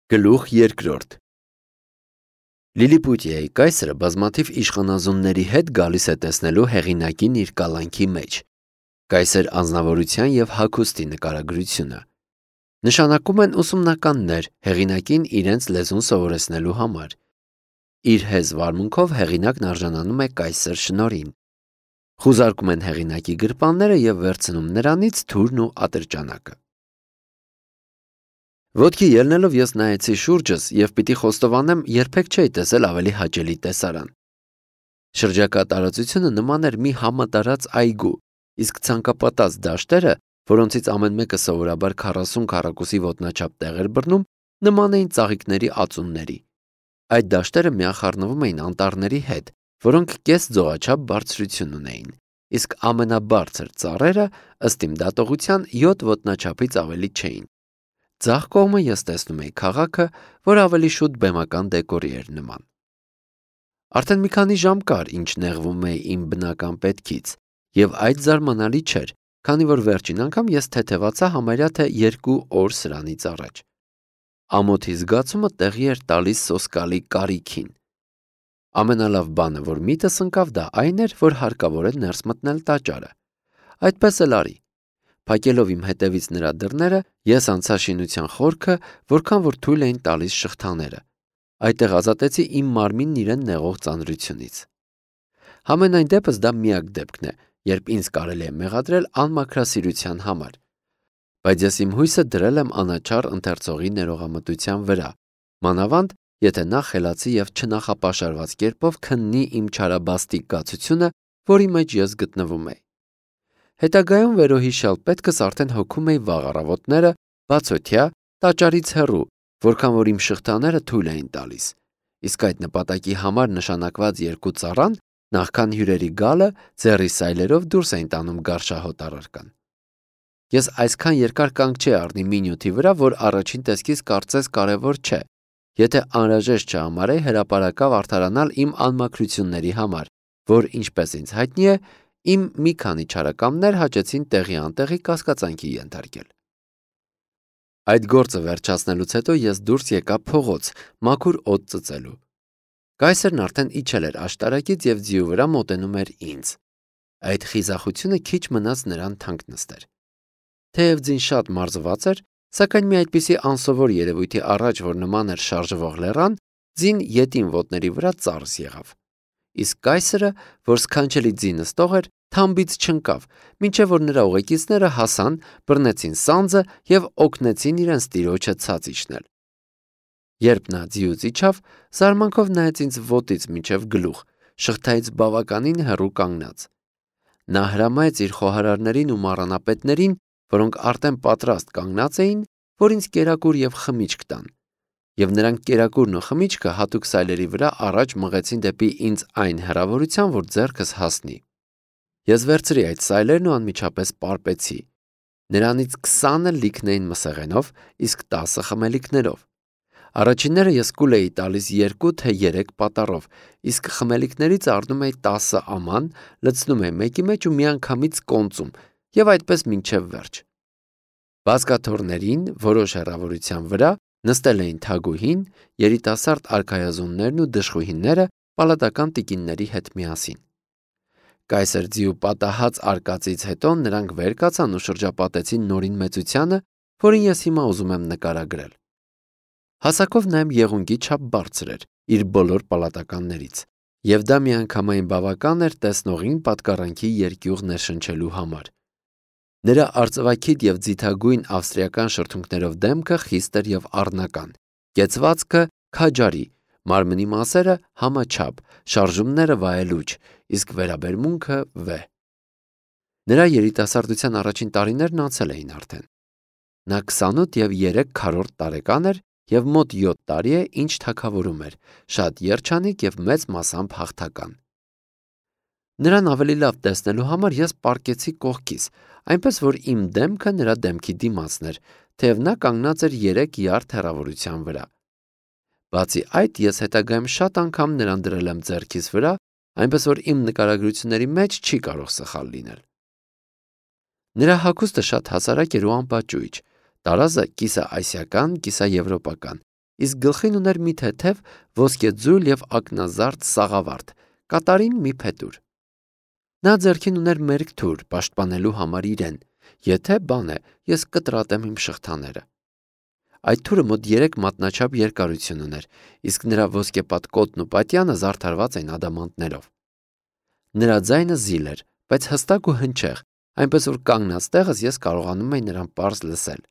Գլուխ երկրորդ Լիլիպուտիայի կայսրը բազմաթիվ իշխանազունների հետ գալիս է տեսնելու հեղինակին իր կալանքի մեջ։ Կայսր անձնավորության և հագուստի նկարագրությունը նշանակում են ուսումնականներ հեղինակին իրենց լեզուն սովորեցնելու համար։ Իր հեզ վարմունքով հեղինակն արժանանում է կայսր շնորհին։ Խուզարկում են հեղինակի գրպանները և վերցնում նրանից թուրն ու ատրճանակը։ Ոտքի ելնելով ես նայեցի շուրջս և պիտի խոստովանեմ, երբեք չէի տեսել ավելի հաճելի տեսարան։ Շրջակա տարածությունը նման էր մի համատարած այգու, իսկ ցանկապատած դաշտերը, որոնցից ամեն մեկը սովորաբար 40 քառակուսի ոտնաչափ տեղ էր բռնում, նման էին ծաղիկների ածունների։ Այդ դաշտերը միախառնվում էին անտառների հետ, որոնք կես ձողաչափ բարձրություն ունեին, իսկ ամենաբարձր ծառերը, ըստ իմ դատողության, 7 ոտնաչափից ավելի չէին։ Ձախ կողմը ես տեսնում էի քաղաքը, որ ավելի շուտ բեմական դեկորի էր նման։ Արդեն մի քանի ժամ կար, ինչ նեղվում էի իմ բնական պետքից, և այդ զարմանալի չէր, քանի որ վերջին անգամ ես թեթևացա համարյա թե 2 օր սրանից առաջ։ Ամոթի զգացումը տեղի էր տալիս սոսկալի կարիքին։ Ամենալավ բանը, որ միտս ընկավ, դա այն էր, որ հարկավոր է ներս մտնել տաճարը։ Այդպես էլ արի։ Փակելով իմ հետևից նրա դռները, ես անցա շինության խորքը, որքան որ թույլ էին տալիս շղթաները։ Այդտեղ ազատեցի իմ մարմինն իրեն նեղող ծանրությունից։ Համենայն դեպս դա միակ դեպքն է, երբ ինձ կարելի է մեղադրել անմաքրասիրության համար։ Բայց ես իմ հույսը դրել եմ անաչառ ընթերցողի ներողամտության վրա, մանավանդ, եթե նա խելացի և չնախապաշարված կերպով քննի իմ չարաբաստիկ կացությունը, որի մեջ ես գտնվում էի։ Հետագայում վերոհիշյալ պետքս արդեն հոգում էի վաղ առավոտները, բացօթյա, տաճարից հեռու, որքան որ իմ շղթաները թույլ էին տալիս, իսկ այդ նպատակի համար նշանակված 2 ծառան, նախքան հյուրերի գալը, ձեռի սայլերով դուրս էին տանում գարշահոտ առարկան։ Ես այսքան երկար կանգ չի առնի մի նյութի վրա, որ առաջին տեսքից կարծես կարևոր չէ, եթե անհրաժեշտ չհամարեի հրապարակավ արդարանալ իմ անմաքրությունների համար, որ, ինչպես ինձ հայտնի է, իմ մի քանի չարակամներ հաճեցին տեղի անտեղի կասկածանքի ենթարկել։ Այդ գործը վերջացնելուց հետո ես դուրս եկա փողոց, մաքուր օդ ծծելու։ Կայսրն արդեն իջել էր աշտարակից և ձիու վրա մոտենում էր ինձ։ Այդ խիզախությունը քիչ մնաց նրան թանկ նստեր։ Թեև ձին շատ մարզված էր, սակայն մի այդպիսի անսովոր երևույթի առաջ, որ նման էր շարժվող լեռան, ձին ետին ոտների վրա ծարս եղավ։ Իսկ կայսրը, որ սքանչելի ձի նստող էր, թամբից չընկավ, մինչև որ նրա ուղեկիցները հասան, բռնեցին սանձը և օգնեցին իրենց տիրոջը ցած իջնել։ Երբ նա ձիուց իջավ, զարմանքով նայեց ինձ ոտից մինչև գլուխ, շղթայից բավականին հեռու կանգնած։ Նա հրամայեց իր խոհարարներին ու մառանապետներին, որոնք արդեն պատրաստ կանգնած էին, որ ինձ կերակուր և խմիչք տան, և նրանք կերակուրն ու խմիչքը հատուկ սայլերի վրա առաջ մղեցին դեպի ինձ այն հեռավորության, որ ձեռքս հասնի։ Ես վերցրի այդ սայլերն ու անմիջապես պարպեցի։ Նրանից 20-ը լիքն էին մսեղենով, իսկ 10-ը խմելիքներով։ Առաջինները ես կուլ էի տալիս 2 թե 3 պատառով, իսկ խմելիքներից առնում էի 10 աման, լցնում էի մեկի մեջ ու միանգամից կոնծում, և այդպես մինչև վերջ։ Բազկաթոռներին, որոշ հեռավորության վրա, նստել էին թագուհին, երիտասարդ արքայազուններն ու դժխույհիները պալատական տիկինների հետ միասին։ Կայսր ձիու պատահած արկածից հետո նրանք վեր կացան ու շրջապատեցին նորին մեծությանը, որին ես հիմա ուզում եմ նկարագրել։ Հասակով նա իմ եղունգի չափ բարձր էր իր բոլոր պալատականներից, և դա միանգամայն բավական էր տեսնողին պատկառանքի երկյուղ ներշնչելու համար։ Նրա արծվաքիթ և ձիթագույն ավստրիական շրթունքներով դեմքը խիստ էր և առնական, կեցվածքը քաջարի, մարմնի մասերը համաչափ, շարժումները վայելուչ, իսկ վերաբերմունքը վեհ։ Նրա երիտասարդության առաջին տարիներն անցել էին արդեն։ Նա 28 և 3 քառորդ տարեկան էր և մոտ 7 տարի է, ինչ թագավորում էր, շատ երջանիկ և մեծ մասամբ հաղթական։ Նրան ավելի լավ տեսնելու համար ես պառկեցի կողքից, այնպես որ իմ դեմքը նրա դեմքի դիմացն էր, թեև նա կանգնած էր 3 յարդ հեռավորության վրա։ Բացի այդ, ես հետագայում շատ անգամ նրան դրել եմ ձեռքիս վրա, այնպես որ իմ նկարագրությունների մեջ չի կարող սխալ լինել։ Նրա հագուստը շատ հասարակ էր ու անպաճույճ, տարազը կիսաասիական, կիսաեվրոպական, իսկ գլխին ուներ մի թեթև ոսկեձույլ և ակնազարդ սաղավարտ, կատարին մի փետուր։ Նա ձեռքին ուներ մերկ թուր պաշտպանելու համար իրեն, եթե բան է, ես կտրատեմ իմ շղթաները։ Այդ թուրը մոտ 3 մատնաչափ երկարություն ուներ, իսկ նրա ոսկեպատ կոտն ու պատյանը զարդարված էին ադամանդներով։ Նրա ձայնը զիլ էր, բայց հստակ ու հնչեղ, այնպես որ կանգնած տեղս ես կարողանում էի նրան պարզ լսել։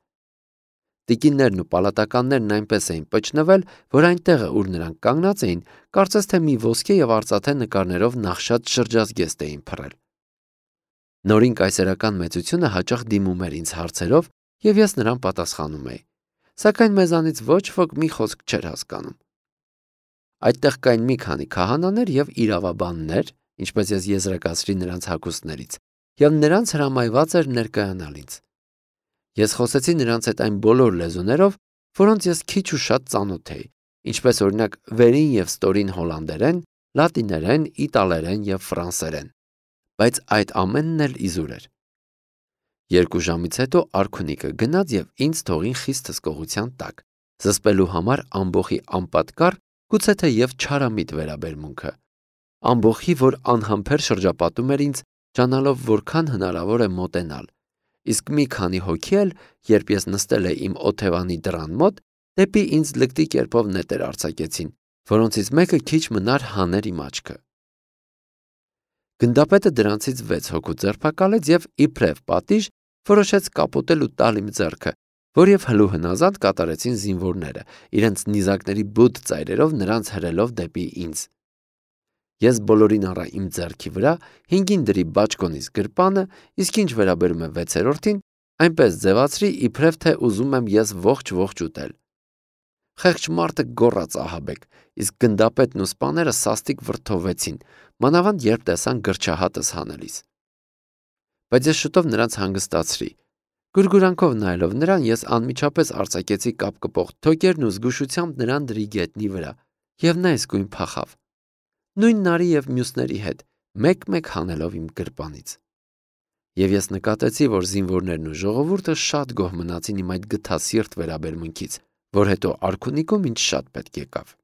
Տիկիններն ու պալատականներն այնպես էին պճնվել, որ այն տեղը, ուր նրանք կանգնած էին, կարծես թե մի ոսկե և արծաթե նկարներով նախշած շրջազգեստ էին փռել։ Նորին կայսերական մեծությունը հաճախ դիմում էր ինձ հարցերով, և ես նրան պատասխանում էի, սակայն մեզանից ոչ ոք մի խոսք չէր հասկանում։ Այդտեղ կային մի քանի քահանաներ և իրավաբաններ, ինչպես ես եզրակացրի նրանց հագուստներից, և նրանց հրամայված էր ներկայանալ ինձ։ Ես խոսեցի նրանց հետ այն բոլոր լեզուներով, որոնց ես քիչ ու շատ ծանոթ էի, ինչպես օրինակ վերին և ստորին հոլանդերեն, լատիներեն, իտալերեն և ֆրանսերեն, բայց այդ ամենն էլ իզուր էր։ 2 ժամից հետո արքունիկը գնաց և ինձ թողին խիստ հսկողության տակ, զսպելու համար ամբոխի անպատկառ, գուցե թե և չարամիտ վերաբերմունքը։ Ամբոխի, որ անհամբեր շրջապատում էր ինձ, ջանալով որքան հնարավոր է մոտենալ, իսկ մի քանի հոգի էլ, երբ ես նստել էի իմ օթևանի դռան մոտ, դեպի ինձ լկտի կերպով նետեր արձակեցին, որոնցից մեկը քիչ մնար հաներ իմ աչքը։ Գնդապետը դրանցից 6 հոգու ձերբակալեց և իբրև պատիժ որոշեց կապոտել ու տալ իմ ձեռքը, որև հլու հնազանդ կատարեցին զինվորները, իրենց նիզակների բութ ծայրերով նրանց հրելով դեպի ինձ։ Ես բոլորին առա իմ ձեռքի վրա, 5-ին դրի բաճկոնիս գրպանը, իսկ ինչ վերաբերում է 6-րդին, այնպես ձևացրի, իբրև թե ուզում եմ ես ողջ ուտել։ Խեղճ մարդը գոռաց ահաբեկ, իսկ գնդապետն ու սպաները սաստիկ վրդովվեցին, մանավանդ երբ տեսան գրչահատս հանելիս։ Բայց ես շուտով նրանց հանգստացրի։ Գուրգուրանքով նայելով նրան, ես անմիջապես արձակեցի կապկպող թոկերն ու զգուշությամբ նրան դրի գետնի վրա, և նա իսկույն փախավ։ Նույն նարի և մյուսների հետ, մեկ-մեկ հանելով իմ գրպանից։ Եվ ես նկատեցի, որ զինվորներն ու ժողովուրդը շատ գոհ մնացին իմ այդ գթասիրտ վերաբերմունքից, որ հետո արքունիքում ինձ շատ պետք եկավ։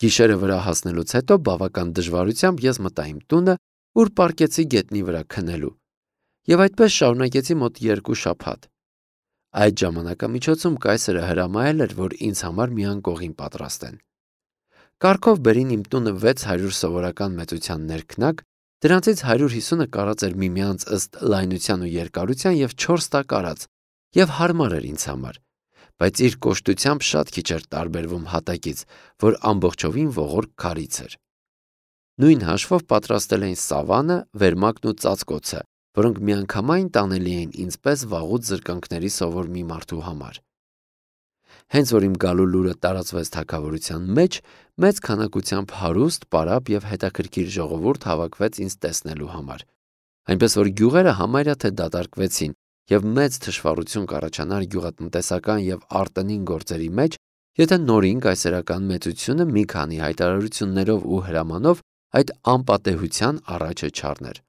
Գիշերը վրա հասնելուց հետո բավական դժվարությամբ ես մտա իմ տունը, ուր պառկեցի գետնի վրա քնելու, և այդպես շարունակեցի մոտ 2 շաբաթ։ Այդ ժամանակամիջոցում կայսրը հրամայել էր, որ ինձ համար մի անկողին պատրաստեն։ Կարգով բերին իմ տունը 600 սովորական մեծության ներքնակ, դրանցից 150-ը կարած էր միմյանց ըստ լայնության ու երկարության և 4 տակ արած, և հարմար էր ինձ համար, բայց իր կոշտությամբ շատ քիչ էր տարբերվում հատակից, որ ամբողջովին ողորկ քարից էր։ Նույն հաշվով պատրաստել էին սավանը, վերմակն ու ծածկոցը, որոնք միանգամայն տանելի էին ինձ պես վաղուց զրկանքների սովոր մի մարդու համար։ Հենց որ իմ գալու լուրը տարածվեց թագավորության մեջ, մեծ քանակությամբ հարուստ, պարապ և հետաքրքիր ժողովուրդ հավաքվեց ինձ տեսնելու համար, այնպես որ գյուղերը համարյա թե դատարկվեցին, և մեծ թշվառություն կառաջանար գյուղատնտեսական և արտոնին գործերի մեջ, եթե նորին կայսերական մեծությունը մի քանի հայտարարություններով ու հրամանով այդ անպատեհության առաջը չառներ։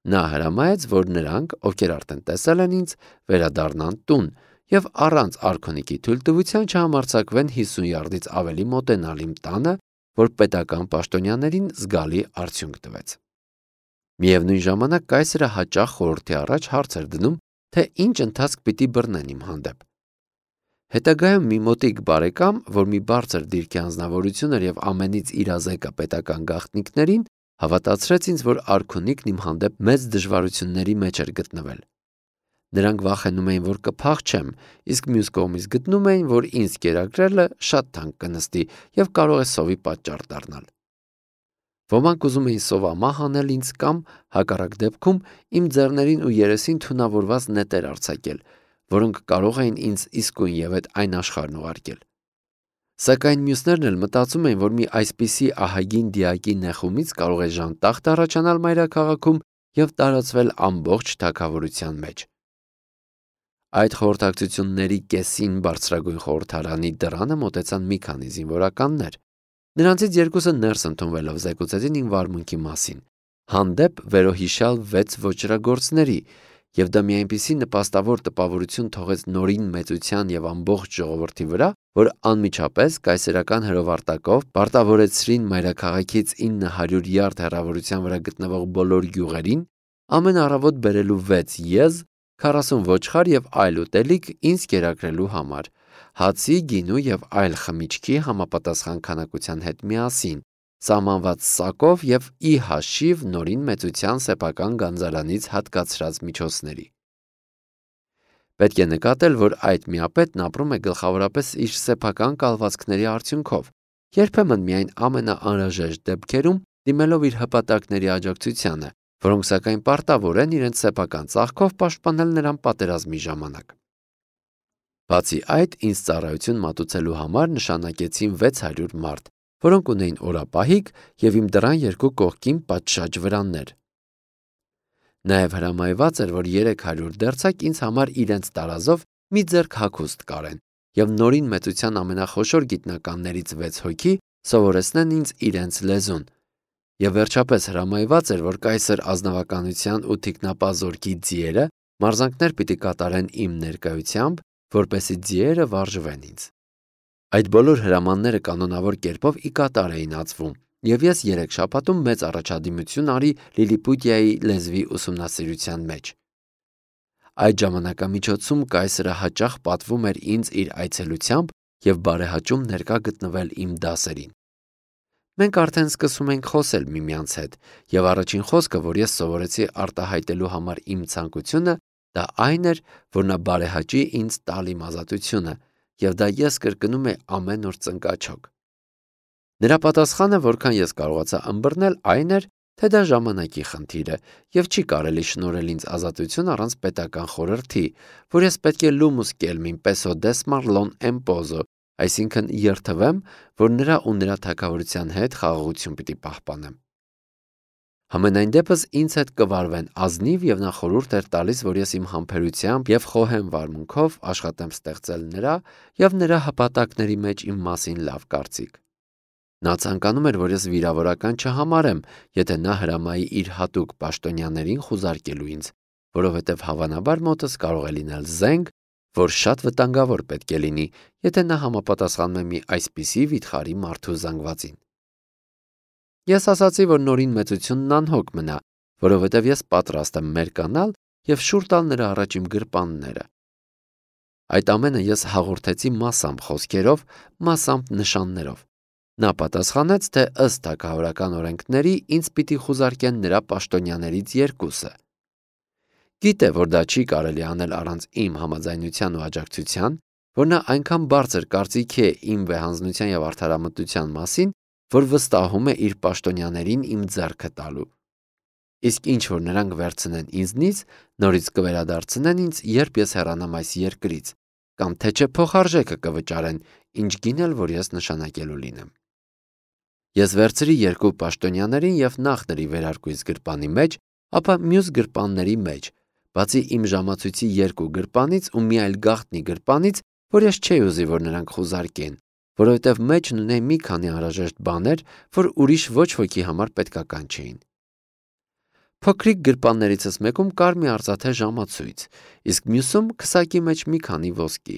Նա հրամայեց, որ նրանք, ովքեր արդեն տեսել են ինձ, վերադառնան տուն և առանց արքունիքի թույլտվության չհամարձակվեն 50 յարդից ավելի մոտենալ իմ տանը, որ պետական պաշտոնյաներին զգալի արդյունք տվեց։ Միևնույն ժամանակ կայսրը հաճախ խորհրդի առաջ հարց էր դնում, թե ինչ ընթացք պիտի բռնեն իմ հանդեպ։ Հետագայում մի մոտիկ բարեկամ, որ մի բարձր դիրքի անձնավորություն էր և ամենից իրազեկը պետական գաղտնիքներին, հավատացրեց ինձ, որ արքունիքն իմ հանդեպ մեծ դժվարությունների մեջ էր գտնվել։ Նրանք վախենում էին, որ կփախչեմ, իսկ մյուս կողմից գտնում էին, որ ինձ կերակրելը շատ թանկ կնստի և կարող է սովի պատճառ դառնալ։ Ոմանք ուզում էին սովամահ անել ինձ կամ, հակառակ դեպքում, իմ ձեռներին ու երեսին թունավորված նետեր արձակել, որոնք կարող էին ինձ իսկույն և այդ այն աշխարհն ուղարկել։ Սակայն մյուսներն էլ մտածում էին, որ մի այսպիսի ահագին դիակի նեխումից կարող է ժանտախտ առաջանալ մայրաքաղաքում և տարածվել ամբողջ թագավորության մեջ։ Այդ խորհրդակցությունների կեսին բարձրագույն խորհրդարանի դռանը մոտեցան մի քանի զինվորականներ։ Նրանցից 2-ը ներս ընդունվելով զեկուցեցին իմ վարմունքի մասին, հանդեպ վերոհիշյալ 6 ոճրագործների, և դա մի այնպիսի նպաստավոր տպավորություն թողեց նորին մեծության և ամբողջ ժողովրդի վրա, որ անմիջապես կայսերական հրովարտակով պարտավորեցրին մայրաքաղաքից 900 յարդ հեռավորության վրա գտնվող բոլոր գյուղերին ամեն առավոտ բերելու 6 եզ, 40 ոչխար եւ այլ ուտելիք ինձ կերակրելու համար, հացի, գինու եւ այլ խմիչքի համապատասխան քանակության հետ միասին, սահմանված սակով եւ ի հաշիվ նորին մեծության սեփական գանձարանից հատկացրած միջոցների։ Պետք է նկատել, որ այդ միապետն ապրում է գլխավորապես իր սեփական կալվածքների արդյունքով, երբեմն միայն ամենաանհրաժեշտ դեպքերում դիմելով իր հպատակների աջակցությանը, որոնք սակայն պարտավոր են իրենց սեփական ծախքով պաշտպանել նրան պատերազմի ժամանակ։ Բացի այդ, ինձ ծառայություն մատուցելու համար նշանակեցին 600 մարդ, որոնք ունեին օրապահիկ եւ իմ դռան երկու կողքին պատշաճ վրաններ։ Նաև հրամայված էր, որ 300 դերձակ ինձ համար իրենց տարազով մի ձեռք հագուստ կարեն եւ նորին մեծության ամենախոշոր գիտնականներից 6 հոգի սովորեցնեն ինձ իրենց լեզուն։ Եվ վերջապես հրամայված էր, որ կայսր ազնվականության ու թիկնապազորքի ձիերը մարզանքներ պիտի կատարեն իմ ներկայությամբ, որպեսզի ձիերը վարժվեն ինձ։ Այդ բոլոր հրամանները կանոնավոր կերպով ի կատար էին ածվում, եւ ես 3 շաբաթում մեծ առաջադիմություն արի Լիլիպուտիայի լեզվի ուսումնասիրության մեջ։ Այդ ժամանակամիջոցում կայսրը հաճախ պատվում էր ինձ իր այցելությամբ եւ բարեհաճում ներկա գտնվել իմ դասերին։ Մենք արդեն սկսում ենք խոսել միմյանց հետ, եւ առաջին խոսքը, որ ես սովորեցի արտահայտելու համար իմ ցանկությունը, դա այն էր, որ նա բարեհաճի ինձ տալ իմ ազատությունը, եւ դա ես կրկնում եմ ամեն օր ծնկաչոք։ Նրա պատասխանը, որքան ես կարողացա ըմբռնել, այն էր, թե դա ժամանակի խնդիր է եւ չի կարելի շնորհել ինձ ազատություն առանց պետական խորհրդի, որ ես պետք է լումուս կելմին peso desmarlon empozo, այսինքն երթվեմ, որ նրա ու նրա թագավորության հետ խաղաղություն պիտի պահպանեմ։ Համենայն դեպս ինձ հետ կվարվեն ազնիվ եւ նա խորհուրդ էր տալիս, որ ես իմ համբերությամբ եւ խոհեմ վարմունքով աշխատեմ ստեղծել նրա եւ նրա հպատակների մեջ իմ մասին լավ կարծիք։ Նա ցանկանում էր, որ ես վիրավորական չհամարեմ, եթե նա հրամայի իր հատուկ պաշտոնյաներին խուզարկելու ինձ, որովհետև հավանաբար մոտս կարող է լինել զենք, որ շատ վտանգավոր պետք է լինի, եթե նա համապատասխանում է մի այսպիսի վիթխարի մարդու զանգվածին։ Ես ասացի, որ նորին մեծությունն անհոգ մնա, որովհետև ես պատրաստ եմ մերկանալ եւ շուռ տալ նրա առաջ իմ գրպանները։ Այդ ամենը ես հաղորդեցի մասամբ խոսքերով, մասամբ նշաններով։ Նա պատասխանեց, թե ըստ թագավորական օրենքների ինձ պիտի խուզարկեն նրա պաշտոնյաներից երկուսը։ Գիտե, որ դա չի կարելի անել առանց իմ համաձայնության ու աջակցության, որ նա այնքան բարձր կարծիքի է իմ վեհանձնության եւ արդարամտության մասին, որ վստահում է իր պաշտոնյաներին իմ ձեռքը տալու։ Իսկ ինչ որ նրանք վերցնեն ինձնից, նորից կվերադարձնեն ինձ, երբ ես հեռանամ այս երկրից, կամ թե չէ փոխարժեքը կվճարեն, ինչ գին էլ որ ես նշանակելու լինեմ։ Ես վերցրի երկու պաշտոնյաներին եւ նախ ների վերարկուից գրպանի մեջ, ապա մյուս գրպանների մեջ, բացի իմ ժամացույցի երկու գրպանից ու մի այլ գաղտնի գրպանից, որ ես չէի ուզի, որ նրանք խուզարկեն, որովհետեւ մեջն ունեի մի քանի անհրաժեշտ բաներ, որ ուրիշ ոչ ոքի համար պետքական չէին։ Փոքրիկ գրպաններիցս մեկում կար մի արծաթե ժամացույց, իսկ մյուսում քսակի մեջ մի քանի ոսկի։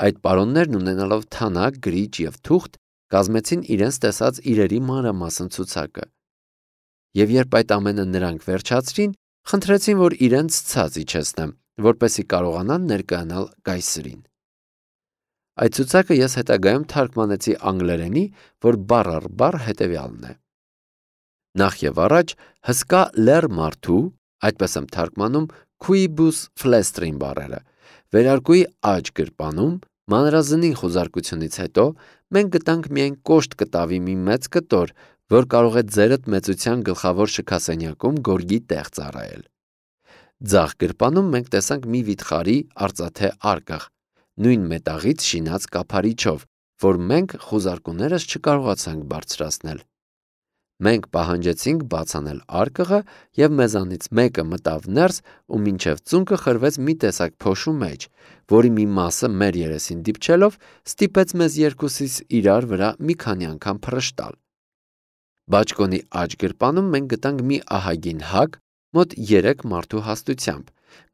Այդ պարոններն ունենալով թանակ, գրիչ եւ թուղթ, կազմեցին իրենց տեսած իրերի մանրամասն ցուցակը։ Եվ երբ այդ ամենը նրանք վերջացրին, խնդրեցին, որ իրենց ցած իջեցնեմ, որպեսզի կարողանան ներկայանալ կայսրին։ Այդ ցուցակը ես հետագայում թարգմանեցի անգլերենի, որ բառ առ բառ հետևյալն է. Նախ եւ առաջ հսկա լեռ մարդու, այդպես եմ թարգմանում quibus flestrin բառերը, վերարկուի աջ գրպանում, մանրազնին խուզարկությունից հետո մենք գտանք միայն կոշտ կտավի մի մեծ կտոր, որ կարող է ձերդ մեծության գլխավոր շքասենյակում գորգի տեղ ծառայել։ Ձախ գրպանում մենք տեսանք մի վիթխարի արծաթե արկղ, նույն մետաղից շինած կափարիչով, որ մենք խուզարկուներս չկարողացանք բարձրացնել։ Մենք պահանջեցինք բաց անել արկղը եւ մեզանից մեկը մտավ ներս ու մինչեւ ծունկը խրվեց մի տեսակ փոշու մեջ, որի մի մասը մեր երեսին դիպչելով ստիպեց մեզ երկուսիս իրար վրա մի քանի անգամ փռշտալ։ Բաճկոնի աջ գրպանում մենք գտանք մի ահագին հակ, մոտ 3 մարդու հաստությամբ,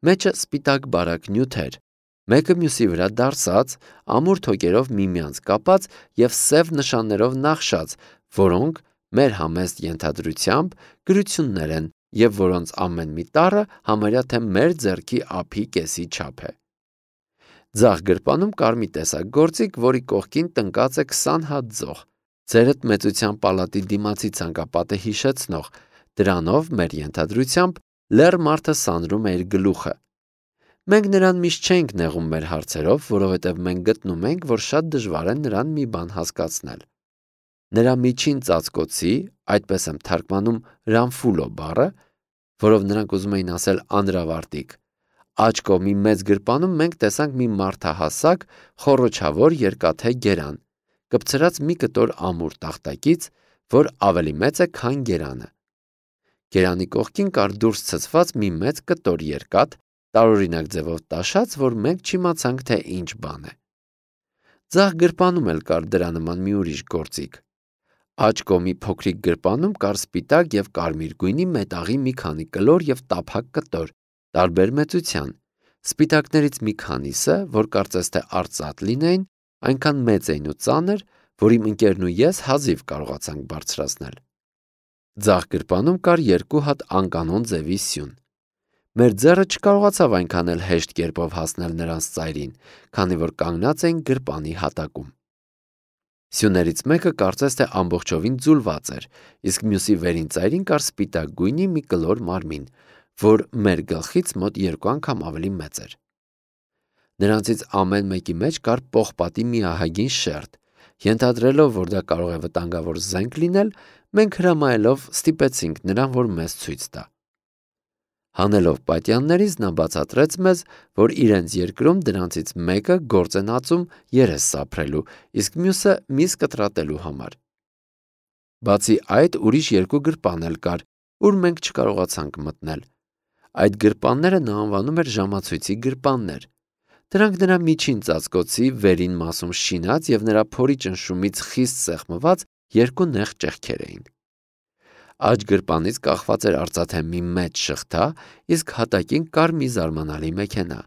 մեջը սպիտակ բարակ նյութ էր, Մեկը մյուսի վրա դարսած, ամուր թոկերով միմյանց կապած եւ սև նշաններով նախշած, որոնք մեր համեստ ենթադրությամբ գրություններ են եւ որոնց ամեն մի տառը համարյա թե մեր ձեռքի ափի կեսի չափ է։ Ձախ գրպանում կար մի տեսակ գործիք, որի կողքին տնկած է 20 հատ ձող, ձերդ մեծության պալատի դիմացի ցանկապատը հիշեցնող, դրանով մեր ենթադրությամբ լեռ մարդը սանրում է իր գլուխը։ Մենք նրան միշտ չենք նեղում մեր հարցերով, որովհետև մենք գտնում ենք, որ շատ դժվար է նրան մի բան հասկացնել։ Նրա միջին ծածկոցի, այդպես եմ թարգմանում Ռամֆուլո բառը, որով նրանք ուզում էին ասել անրավարտիկ, աջ կողմի մեծ գրպանում մենք տեսանք մի մարդահասակ, խոռոչավոր երկաթե գերան, կպցրած մի կտոր ամուր տախտակից, որ ավելի մեծ է, քան գերանը։ Գերանի կողքին կար դուրս ցցված մի մեծ կտոր երկաթ, տարօրինակ ձևով տաշած, որ մենք չիմացանք, թե ինչ բան է։ Ձախ գրպանում էլ կար դրա նման մի ուրիշ գործիք։ Աջ կողմի փոքրիկ գրպանում կար սպիտակ եւ կարմիր գույնի մետաղի մի քանի կլոր եւ տափակ կտոր, տարբեր մեծության։ Սպիտակներից մի քանիսը, որ կարծես թե արծաթ լինեին, այնքան մեծ էին ու ծանր, որ իմ ընկերն ու ես հազիվ կարողացանք բարձրացնել։ Ձախ գրպանում կար 2 հատ անկանոն ձևի սյուն։ Մեր ձեռը չկարողացավ այնքան էլ հեշտ կերպով հասնել նրանց ծայրին, քանի որ կանգնած էին գրպանի հատակում։ Սյուներից մեկը կարծես թե ամբողջովին ձուլված էր, իսկ մյուսի վերին ծայրին կար սպիտակ գույնի մի կլոր մարմին, որ մեր գլխից մոտ 2 անգամ ավելի մեծ էր։ Նրանցից ամեն մեկի մեջ կար պողպատի մի ահագին շերտ։ Ենթադրելով, որ դա կարող է վտանգավոր զենք լինել, մենք հրամայելով ստիպեցինք նրան, որ մեզ ցույց տա։ Հանելով պատյաններից նա բացատրեց մեզ, որ իրենց երկրում դրանցից մեկը գործ են ածում երես սափրելու, իսկ մյուսը միս կտրատելու համար։ Բացի այդ, ուրիշ 2 գրպան էլ կար, ուր մենք չկարողացանք մտնել։ Այդ գրպանները նա անվանում էր ժամացույցի գրպաններ։ Դրանք նրա միջին ծածկոցի վերին մասում շինած եւ նրա փորի ճնշումից խիստ սեղմված 2 նեղ ճեղքեր էին։ Աջ գրպանից կախված էր արծաթե մի մեծ շղթա, իսկ հատակին կար մի զարմանալի մեքենա։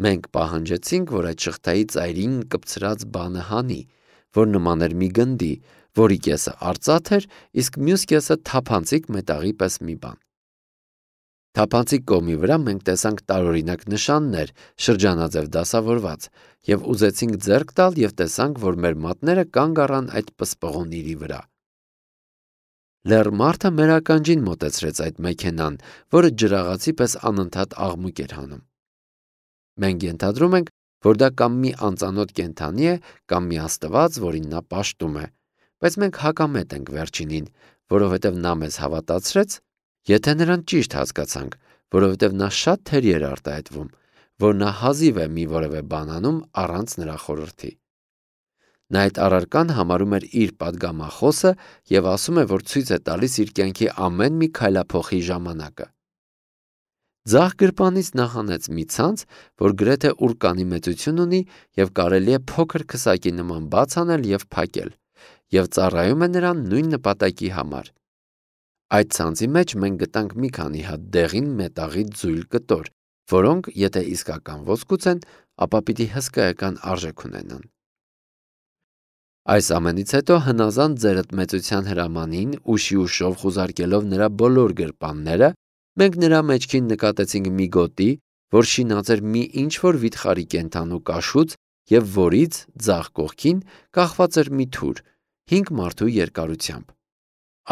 Մենք պահանջեցինք, որ այդ շղթայի ծայրին կպցրած բանը հանի, որ նման էր մի գնդի, որի կեսը արծաթ էր, իսկ մյուս կեսը թափանցիկ մետաղի պես մի բան։ Թափանցիկ կողմի վրա մենք տեսանք տարօրինակ նշաններ, շրջանաձև դասավորված, եւ ուզեցինք ձեռք տալ եւ տեսանք, որ մեր մատները կանգ առան այդ պսպղուն իրի վրա։ Լեռ մարդը մեր ականջին մոտեցրեց այդ մեքենան, որը ջրաղացի պես անընդհատ աղմուկ էր հանում։ Մենք ենթադրում ենք, որ դա կամ մի անծանոթ կենդանի է, կամ մի աստված, որին նա պաշտում է, բայց մենք հակամետ ենք վերջինին, որովհետև նա մեզ հավատացրեց, եթե նրան ճիշտ հասկացանք, որովհետև նա շատ թերի էր արտահայտվում, որ նա հազիվ է մի որևէ բան անում առանց նրա խորհրդի։ Նա այդ առարկան համարում էր իր պատգամախոսը եւ ասում է, որ ցույց է տալիս իր կյանքի ամեն մի քայլափոխի ժամանակը։ Ձախ գրպանից նա հանեց մի ցանց, որ գրեթե ուրկանի մեծություն ունի եւ կարելի է փոքր քսակի նման բաց անել եւ փակել, եւ ծառայում է նրան նույն նպատակի համար։ Այդ ցանցի մեջ մենք գտանք մի քանի հատ դեղին մետաղի ձույլ կտոր, որոնք, եթե իսկական ոսկուց են, ապա պիտի հսկայական արժեք ունենան։ Այս ամենից հետո հնազանդ ձերդ մեծության հրամանին ուշի ուշով խուզարկելով նրա բոլոր գրպանները, մենք նրա մեջքին նկատեցինք մի գոտի, որ շինած էր մի ինչ-որ վիթխարի կենդանու կաշուց եւ որից ձախ կողքին կախված էր մի թուր, 5 մարդու երկարությամբ։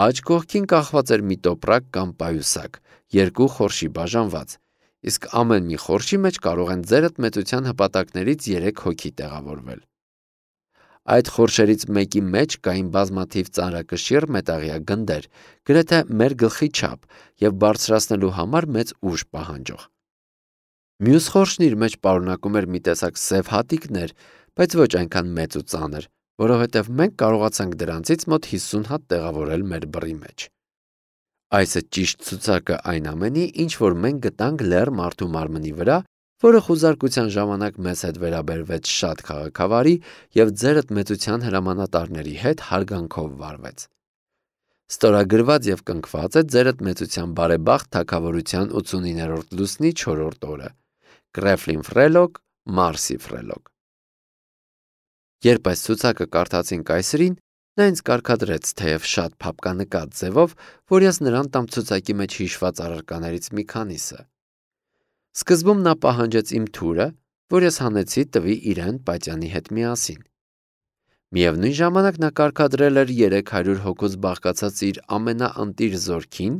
Աջ կողքին կախված էր մի տոպրակ կամ պայուսակ, 2 խորշի բաժանված, իսկ ամեն մի խորշի մեջ կարող են ձերդ մեծության հպատակներից 3 հոգի տեղավորվել։ Այդ խորշերից մեկի մեջ կային բազմաթիվ ծանրակշիռ մետաղյա գնդեր, գրեթե մեր գլխի չափ եւ բարձրացնելու համար մեծ ուժ պահանջող։ Մյուս խորշն իր մեջ պարունակում էր մի տեսակ սև հատիկներ, բայց ոչ այնքան մեծ ու ծանր, որովհետև մենք կարողացանք դրանցից մոտ 50 հատ տեղավորել մեր բռի մեջ։ Այս է ճիշտ ցուցակը այն ամենի, ինչ որ մենք գտանք լեռ մարդու մարմնի վրա, որը խուզարկության ժամանակ մեզ հետ վերաբերվեց շատ քաղաքավարի եւ ձերդ մեծության հրամանատարների հետ հարգանքով վարվեց։ Ստորագրված եւ կնքված է ձերդ մեծության բարեբախտ թագավորության 89-րդ լուսնի 4-րդ օրը։ Գրեֆլին Ֆրելոկ, Մարսի Ֆրելոկ։ Երբ այս ցուցակը կարդացին կայսրին, նա ինձ կարգադրեց թեև շատ փափկանկատ ձևով, որ ես նրան տամ ցուցակի մեջ հիշված առարկաներից մի քանիսը։ Սկզբում նա պահանջեց իմ թուրը, որ ես հանեցի տվի իրեն Պատյանի հետ միասին։ Միևնույն ժամանակ նա կարգադրել էր 300 հոգուց բաղկացած իր ամենաընտիր զորքին,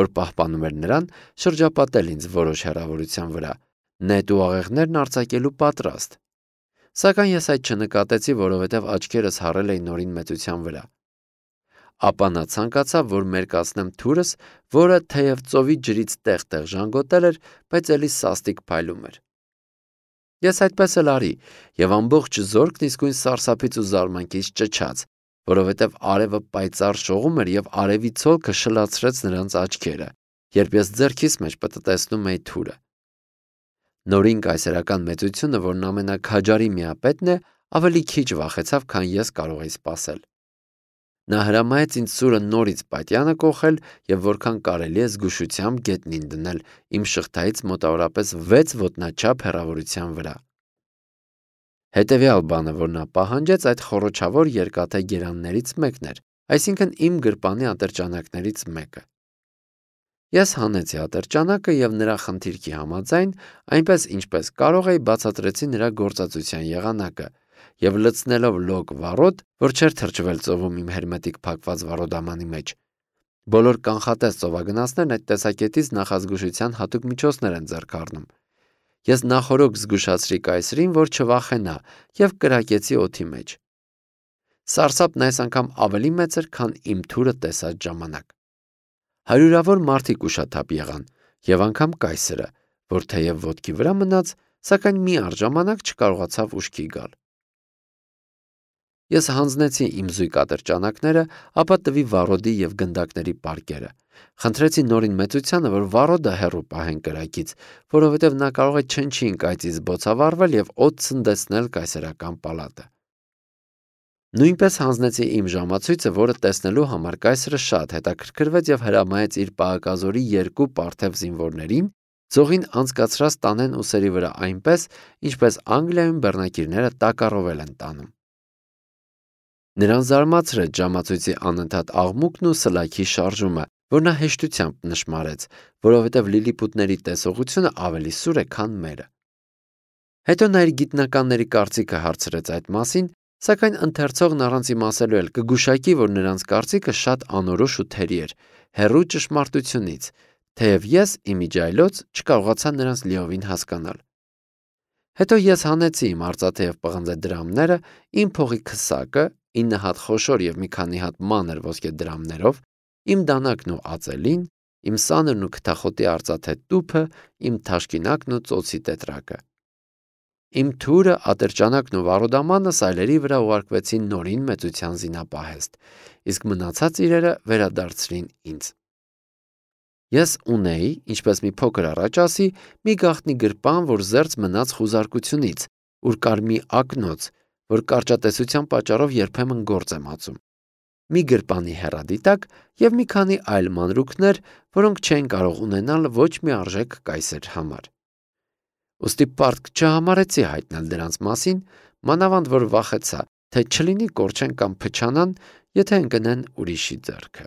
որ պահպանում էր նրան, շրջապատել ինձ որոշ հեռավորության վրա, նետ ու աղեղներն արձակելու պատրաստ։ Սակայն ես այդ չնկատեցի, որովհետև աչքերս հառել էին նորին մեծության վրա։ Ապա նա ցանկացավ, որ մերկացնեմ թուրս, որը թեև ծովի ջրից տեղ-տեղ ժանգոտել էր, բայց էլի սաստիկ փայլում էր։ Ես այդպես էլ արի, եւ ամբողջ զորքն իսկույն սարսափից ու զարմանքից ճչաց, որովհետև արևը պայծառ շողում էր եւ արևի ցոլքը շլացրեց նրանց աչքերը, երբ ես ձեռքիս մեջ պտտեցնում էի թուրը։ Նորին կայսերական մեծությունը, որն ամենաքաջարի միապետն է, ավելի քիչ վախեցավ, քան ես կարող էի սպասել։ Նա հրամայեց ինձ սուրը նորից Պատյանը կոխել եւ որքան կարելի է զգուշությամբ գետնին դնել իմ շղթայից մոտավորապես 6 ոտնաչափ հեռավորության վրա։ Հետևյալ բանը, որ նա պահանջեց, այդ խոռոչավոր երկաթե գերաններից մեկն էր, այսինքն իմ գրպանի ատրճանակներից մեկը։ Ես հանեցի ատրճանակը եւ նրա խնդիրքի համաձայն, այնպես ինչպես կարող էի, բացատրեցի նրա գործածության եղանակը եւ լցնելով լոկ վառոդ, որ չէր թրջվել ծովում իմ հերմետիկ փակված վառոդամանի մեջ։ Բոլոր կանխատես ծովագնացներն այդ տեսակետից նախազգուշության հատուկ միջոցներ են ձեռք առնում։ Ես նախորոք զգուշացրի կայսրին, որ չվախենա եւ կրակեցի օդի մեջ։ Սարսափն այս անգամ ավելի մեծ էր, քան իմ թուրը տեսած ժամանակ։ Հարյուրավոր մարդիկ ուշաթափ եղան եւ անգամ կայսրը, որ թեև ոտքի վրա մնաց, սակայն մի առժամանակ չկարողացավ ուշքի գալ։ Ես հանձնեցի իմ զույգ ատրճանակները, ապա տվի վառոդի եւ գնդակների պարկերը։ Խնդրեցի նորին մեծությանը, որ վառոդը հեռու պահեն կրակից, որովհետև նա կարող է չնչին կայծից բոցավառվել եւ օդ ցնդեցնել կայսերական պալատը։ Նույնպես հանձնեցի իմ ժամացույցը, որը տեսնելու համար կայսրը շատ հետաքրքրվեց եւ հրամայեց իր պահակազորի 2 պարթև զինվորներին ձողին անցկացրած տանեն ուսերի վրա այնպես, ինչպես Անգլիայում բեռնակիրները տակառովել են տանում։ Նրան զարմացրեց ժամացույցի անընդհատ աղմուկն ու սլաքի շարժումը, որ նա հեշտությամբ նշմարեց, որովհետև լիլիպուտների տեսողությունը ավելի սուր է, քան մերը։ Հետո նա իր գիտնականների կարծիքը հարցրեց այդ մասին, սակայն ընթերցողն առանց իմասելու էլ կգուշակի, որ նրանց կարծիքը շատ անորոշ ու թերի էր, հեռու ճշմարտությունից, թեև ես իմիջայլոց չկարողացա նրանց լիովին հասկանալ։ Հետո ես հանեցի իմ արծաթե եւ պղնձե դրամները, իմ փողի քսակը, 9 հատ խոշոր եւ մի քանի հատ մանր ոսկե դրամներով, իմ դանակն ու ածելին, իմ սանրն ու քթախոտի արծաթե տուփը, իմ թաշկինակն ու ծոցի տետրակը։ Իմ թուրը, ատրճանակն ու վառոդամանը սայլերի վրա ուղարկվեցին նորին մեծության զինապահեստ, իսկ մնացած իրերը վերադարձրին ինձ։ Ես ունեի, ինչպես մի փոքր առաջ ասի, մի գաղտնի գրպան, որ զերծ մնաց խուզարկությունից, ուր կար մի ակնոց, որ կարճատեսության պատճառով երբեմն գործ եմ ածում։ Մի գրպանի հեռադիտակ եւ մի քանի այլ մանրուքներ, որոնք չեն կարող ունենալ ոչ մի արժեք կայսեր համար։ Ոստի պարտք չհամարեցի հայտնել դրանց մասին, մանավանդ որ վախեցա, թե չլինի կորչեն կամ փչանան, եթե ընկնեն ուրիշի ձեռքը։